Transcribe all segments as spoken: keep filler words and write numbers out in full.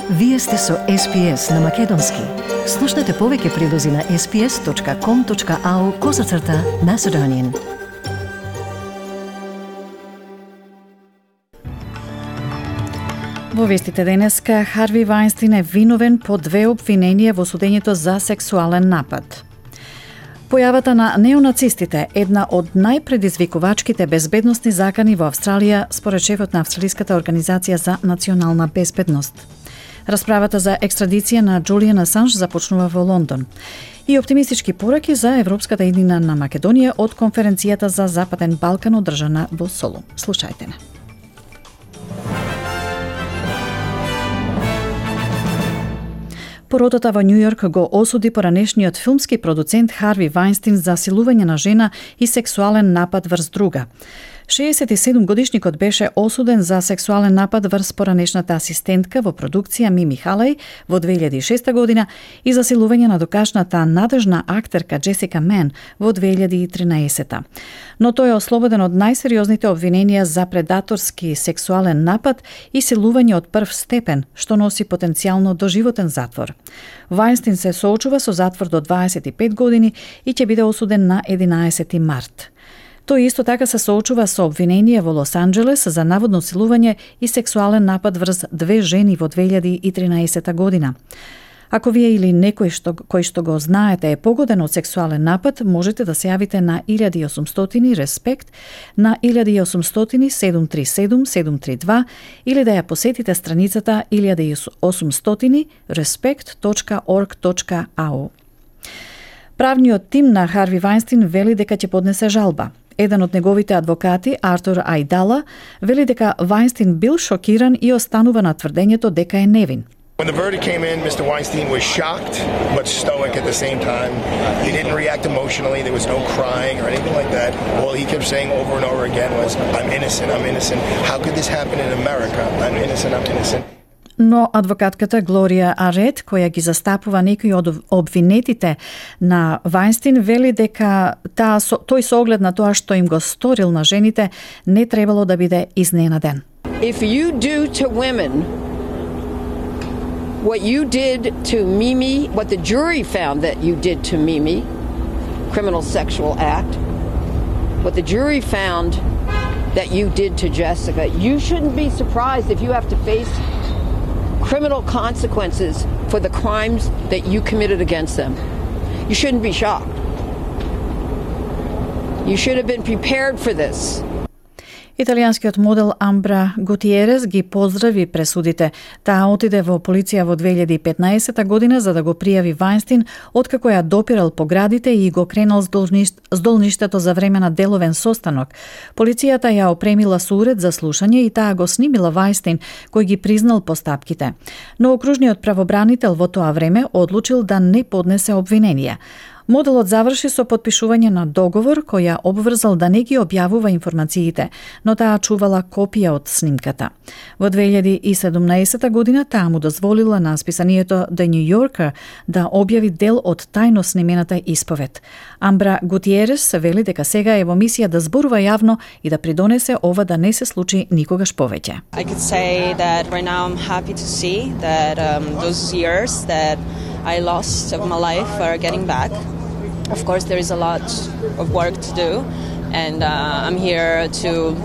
Вие сте со Ес Пи Ес на Македонски. Слушнете повеќе прилози на ес пи ес точка ком точка ау козацрта Macedonian. Во вестите денеска, Харви Вајнстин е виновен по две обвиненија во судењето за сексуален напад. Појавата на неонацистите е една од најпредизвикувачките безбедносни закани во Австралија, според шефот на Австралиската организација за национална безбедност. Расправата за екстрадиција на Джулијан Асанж започнува во Лондон. И оптимистички пораки за европската иднина на Македонија од конференцијата за Западен Балкан одржана во Солун. Слушајте не. Поротата во Њу Јорк го осуди поранешниот филмски продуцент Харви Вајнстин за силување на жена и сексуален напад врз друга. шеесет и седум годишникот беше осуден за сексуален напад врз поранешната асистентка во продукција Мими Халеј во две илјади и шеста година и за силување на докажната надежна актерка Джесика Мен во две илјади и тринаесета. Но тој е ослободен од најсериозните обвиненија за предаторски сексуален напад и силување од прв степен, што носи потенцијално доживотен затвор. Вајнстин се соочува со затвор до дваесет и пет години и ќе биде осуден на единаесети март. Тој исто така се соочува со обвинение во Лос Анџелес за наводно силување и сексуален напад врз две жени во две илјади и тринаесета година. Ако вие или некој што, кој што го знаете е погоден од сексуален напад, можете да се јавите на илјада и осумстотини респект, на илјада и осумстотини седум три седум седум три два или да ја посетите страницата илјада и осумстотини респект точка орг точка ау. Правниот тим на Харви Вајнстин вели дека ќе поднесе жалба. Еден од неговите адвокати, Артур Ајдала, вели дека Вајнстин бил шокиран и останува на тврдењето дека е невин. When the verdict came in, Mister Weinstein was shocked but stoic at the same time. He didn't react emotionally. There was no crying or anything like that. All he kept saying over and over again was, I'm innocent, I'm innocent. How could this happen in America? I'm innocent, I'm innocent. Но адвокатката Глорија Арет, која ги застапува некои од обвинетите на Вајнстин, вели дека таа, тој со оглед на тоа што им го сторил на жените, не требало да биде изненаден. If you do to women what you did to Mimi, what the jury found that you did to Mimi, criminal sexual act, what the jury found that you did to Jessica, you shouldn't be surprised if you have to face criminal consequences for the crimes that you committed against them. You shouldn't be shocked. You should have been prepared for this. Италијанскиот модел Амбра Гутиерес ги поздрави пресудите. Таа отиде во полиција во две илјади и петнаесета година за да го пријави Вајнстин откако ја допирал по градите и го кренал с долништето за време на деловен состанок. Полицијата ја опремила со уред за слушање и таа го снимила Вајнстин, кој ги признал постапките. Но окружниот правобранител во тоа време одлучил да не поднесе обвиненија. Моделот заврши со подпишување на договор кој ја обврзал да не ги објавува информациите, но таа чувала копија од снимката. Во две илјади и седумнаесета година таа му дозволила на списанието The New Yorker да објави дел од тајно снимената исповед. Амбра Гутиерес вели дека сега е во мисија да зборува јавно и да придонесе ова да не се случи никогаш повеќе. I could say that right now I'm happy to see that um, those years that I lost of my life are getting back. Of course, there is a lot of work to do, and uh, I'm here to,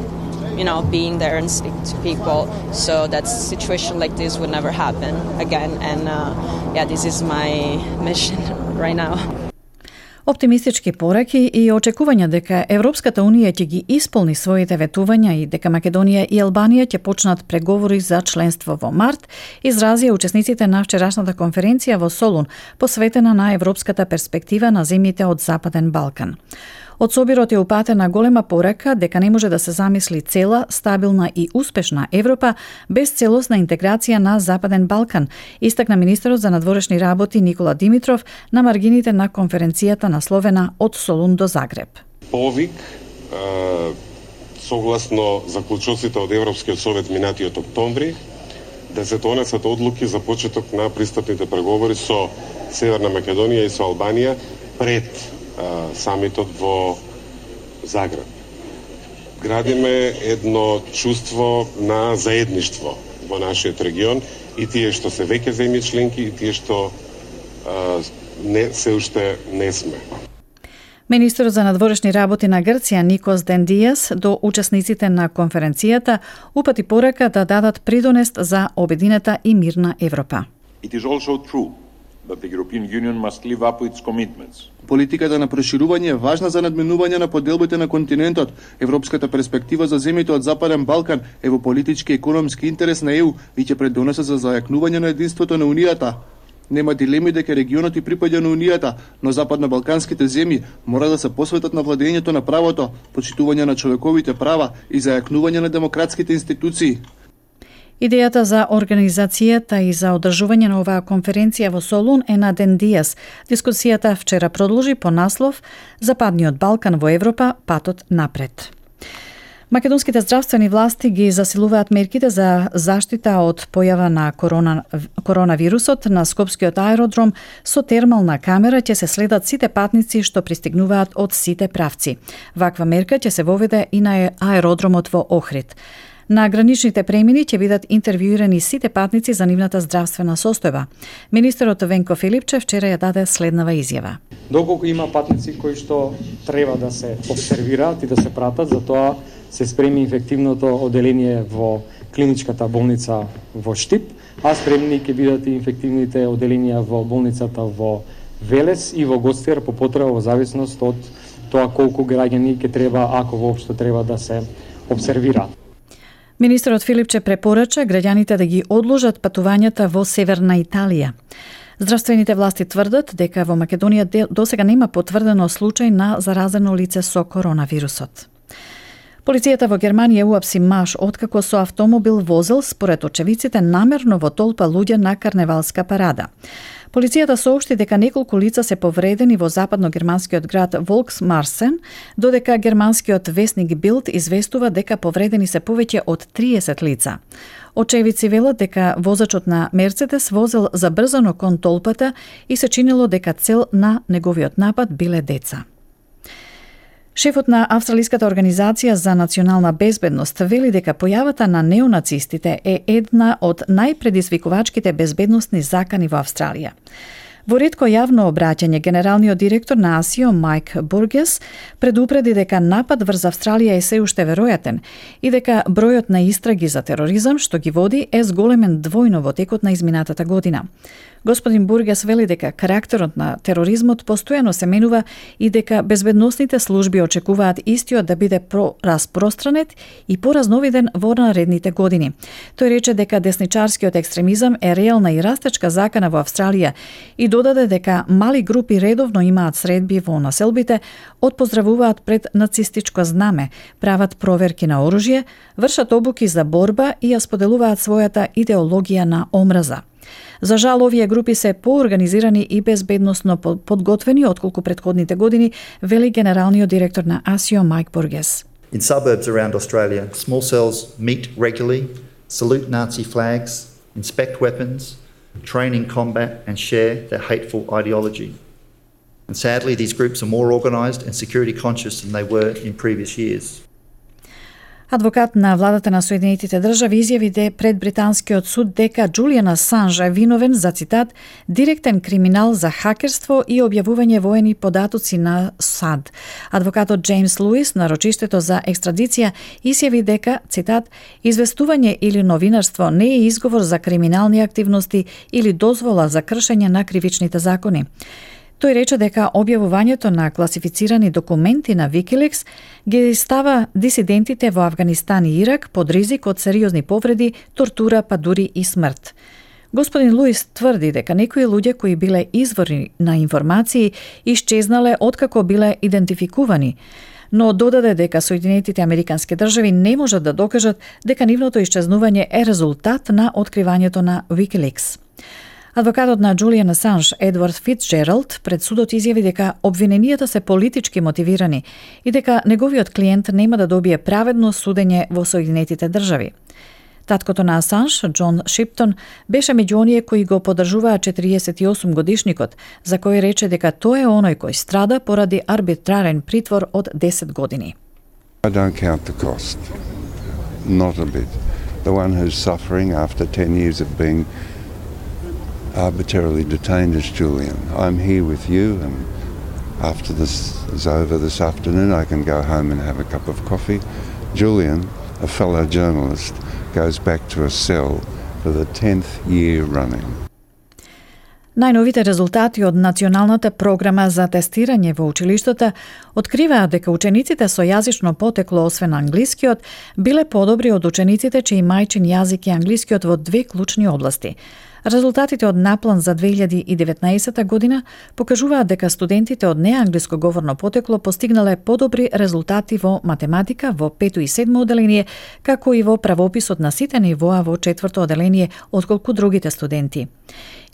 you know, being there and speak to people, so that situation like this would never happen again. And uh, yeah, this is my mission right now. Оптимистички пораки и очекувања дека Европската Унија ќе ги исполни своите ветувања и дека Македонија и Албанија ќе почнат преговори за членство во март, изразија учесниците на вчерашната конференција во Солун, посветена на европската перспектива на земјите од Западен Балкан. Од собирот е упатена голема порака дека не може да се замисли цела, стабилна и успешна Европа без целосна интеграција на Западен Балкан, истакна министерот за надворешни работи Никола Димитров на маргините на конференцијата насловена Од Солун до Загреб. Повик, согласно заклучоците од Европскиот совет минатиот октомври, да се донесат одлуки за почеток на пристапните преговори со Северна Македонија и со Албанија пред самитот во Загреб. Градиме едно чувство на заедништво во нашиот регион, и тие што се веќе земји членки и тие што а, не се уште не сме. Министерот за надворешни работи на Грција Никос Дендијас до учесниците на конференцијата упати порака да дадат придонест за обединета и мирна Европа. It is also true that the European Union must live up to its commitments. Политиката на проширување е важна за надменување на поделбите на континентот. Европската перспектива за земјите од Западен Балкан е во политички и економски интерес на Е У и ќе предонесе за зајакнување на единството на Унијата. Нема дилеми дека регионот и припаѓа на Унијата, но западно-балканските земји мора да се посветат на владењето на правото, почитување на човековите права и зајакнување на демократските институции. Идејата за организацијата и за одржување на оваа конференција во Солун е на Дендијас. Дискусијата вчера продолжи по наслов Западниот Балкан во Европа, патот напред. Македонските здравствени власти ги засилуваат мерките за заштита од појава на корона, коронавирусот. На Скопскиот аеродром со термална камера ќе се следат сите патници што пристигнуваат од сите правци. Ваква мерка ќе се воведе и на аеродромот во Охрид. На граничните премини ќе бидат интервјуирани сите патници за нивната здравствена состојба. Министерот Венко Филипче вчера ја даде следнава изјава. Доколку има патници кои што треба да се обсервираат и да се пратат, за тоа се спреми инфективното оделение во клиничката болница во Штип, а спремни ќе бидат и инфективните оделенија во болницата во Велес и во Гоцтер по потреба во зависност од тоа колку граѓани ќе треба, ако воопшто треба да се обсервираат. Министерот Филипче препорача граѓаните да ги одложат патувањата во Северна Италија. Здравствените власти тврдат дека во Македонија досега нема потврдено случај на заразено лице со коронавирусот. Полицијата во Германија уапси маж откако со автомобил возел, според очевиците, намерно во толпа луѓе на карневалска парада. Полицијата соопшти дека неколку лица се повредени во западно-германскиот град Волксмарсен, додека германскиот весник Билд известува дека повредени се повеќе од триесет лица. Очевици велат дека возачот на Мерцедес возел забрзано кон толпата и се чинело дека цел на неговиот напад биле деца. Шефот на Австралиската организација за национална безбедност вели дека појавата на неонацистите е една од најпредизвикувачките безбедносни закани во Австралија. Во ретко јавно обраќање, генералниот директор на АСИО Майк Бургес предупреди дека напад врз Австралија е се уште веројатен и дека бројот на истраги за тероризам што ги води е зголемен двојно во текот на изминатата година. Господин Бургес вели дека карактерот на тероризмот постојано се менува и дека безбедносните служби очекуваат истиот да биде распространет и поразновиден во наредните години. Тој рече дека десничарскиот екстремизам е реална и растечка закана во Австралија и додаде дека мали групи редовно имаат средби во населбите, отпоздравуваат пред нацистичко знаме, прават проверки на оружје, вршат обуки за борба и ја споделуваат својата идеологија на омраза. За жал, овие групи се поорганизирани и безбедносно подготвени отколку претходните години, вели генералниот директор на АСИО Майк Бургес. In suburbs around Australia, small cells meet regularly, salute Nazi flags, inspect weapons, train in combat and share their hateful ideology. And sadly, these groups are more organised and security conscious than they were in previous years. Адвокат на владата на Соединетите држави изјави пред британскиот суд дека Џулијан Асанж е виновен за, цитат, директен криминал за хакерство и објавување воени податоци на САД. Адвокатот Джеймс Луис на рочиштето за екстрадиција изјави дека, цитат, известување или новинарство не е изговор за криминални активности или дозвола за кршење на кривичните закони. Тој рече дека објавувањето на класифицирани документи на Wikileaks ги става дисидентите во Авганистан и Ирак под ризик од сериозни повреди, тортура, па дури и смрт. Господин Луис тврди дека некои луѓе кои биле извори на информации исчезнале откако биле идентификувани, но додаде дека Соединетите Американски држави не можат да докажат дека нивното исчезнување е резултат на откривањето на Wikileaks. Адвокатот на Џулијан Асанж, Едвард Фицџералд, пред судот изјави дека обвиненијата се политички мотивирани и дека неговиот клиент нема да добие праведно судење во Соединетите држави. Таткото на Асанж, Џон Шиптон, беше меѓу оние кои го поддржуваа четириесет и осум годишникот, за кој рече дека тој е оној кој страда поради арбитрарен притвор од десет години. I don't count the cost. Not a bit. the one who's suffering after ten years of being arbitrarily detained is Julian. I'm here with you, and after this is over this afternoon, I can go home and have a cup of coffee. Julian, a fellow journalist, goes back to a cell for the tenth year running. Најновите резултати од Националната програма за тестирање во училиштата откриваат дека учениците со јазично потекло освен англискиот биле подобри од учениците чиј мајчин јазик е англискиот во две клучни области. Резултатите од Наплан за две илјади и деветнаесетта година покажуваат дека студентите од неанглиско говорно потекло постигнале подобри резултати во математика во пето и седмо оделение, како и во правописот на сите нивоа во четврто оделение, отколку другите студенти.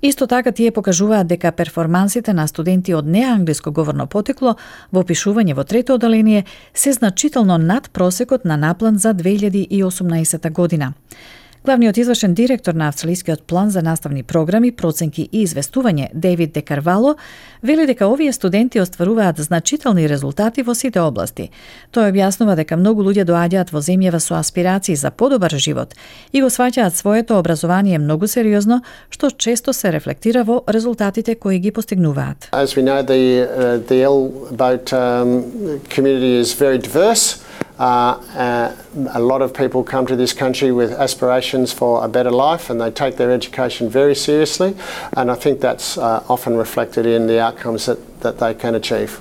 Исто така тие покажуваат дека перформансите на студенти од неанглиско говорно потекло во пишување во трето оделение се значително над просекот на Наплан за две илјади и осумнаесетта година. Главниот извршен директор на Австралискиот план за наставни програми, проценки и известување, Дейвид Де Карвало, вели дека овие студенти остваруваат значителни резултати во сите области. Тој објаснува дека многу луѓе доаѓаат во земјава со аспирации за подобар живот и го сваќаат своето образование многу сериозно, што често се рефлектира во резултатите кои ги постигнуваат. As we know, the uh, the L-boat um, community is very diverse. Uh, uh, a lot of people come to this country with aspirations for a better life, and they take their education very seriously, and I think that's uh, often reflected in the outcomes that, that they can achieve.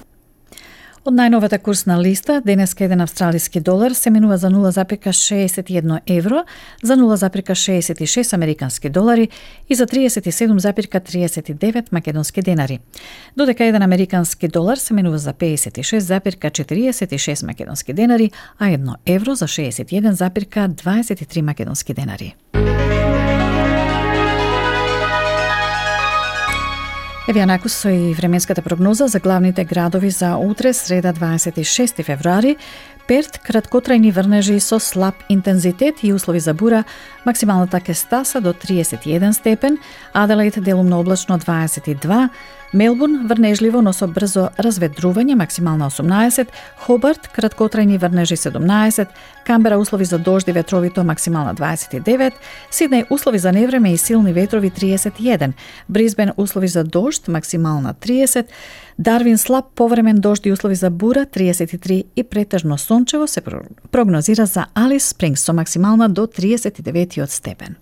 Од најновата курсна листа, денеска еден австралиски долар се менува за нула запирка шеесет и едно евро, за нула запирка шеесет и шест американски долари и за триесет и седум запирка триесет и девет македонски денари. Додека еден американски долар се менува за пеесет и шест запирка четириесет и шест македонски денари, а едно евро за шеесет и еден запирка дваесет и три македонски денари. Еве јанаку со и временската прогноза за главните градови за утре, среда дваесет и шести февруари. Перт, краткотрајни врнежи со слаб интензитет и услови за бура, максималната ќе стаса до триесет и еден степен, Аделаид делумно облачно дваесет и два, Мелбурн врнежливо, но со брзо разветрување, максимална осумнаесет, Хобарт краткотрајни врнежи седумнаесет, Камбера услови за дожд и ветровито, максимална дваесет и девет, Сиднеј услови за невреме и силни ветрови тридесет и еден, Брисбен услови за дожд, максимална триесет, Дарвин слаб повремен дожд и услови за бура тридесет и три и претежно сончево се прогнозира за Алис Спрингс со максимална до триесет и деветиот степен.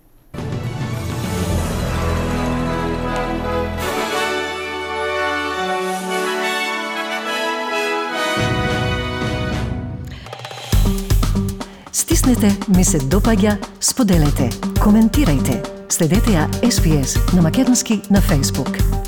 Стиснете, ми се допаѓа, споделете, коментирајте. Следете ја Ес Би Ес на македонски на Facebook.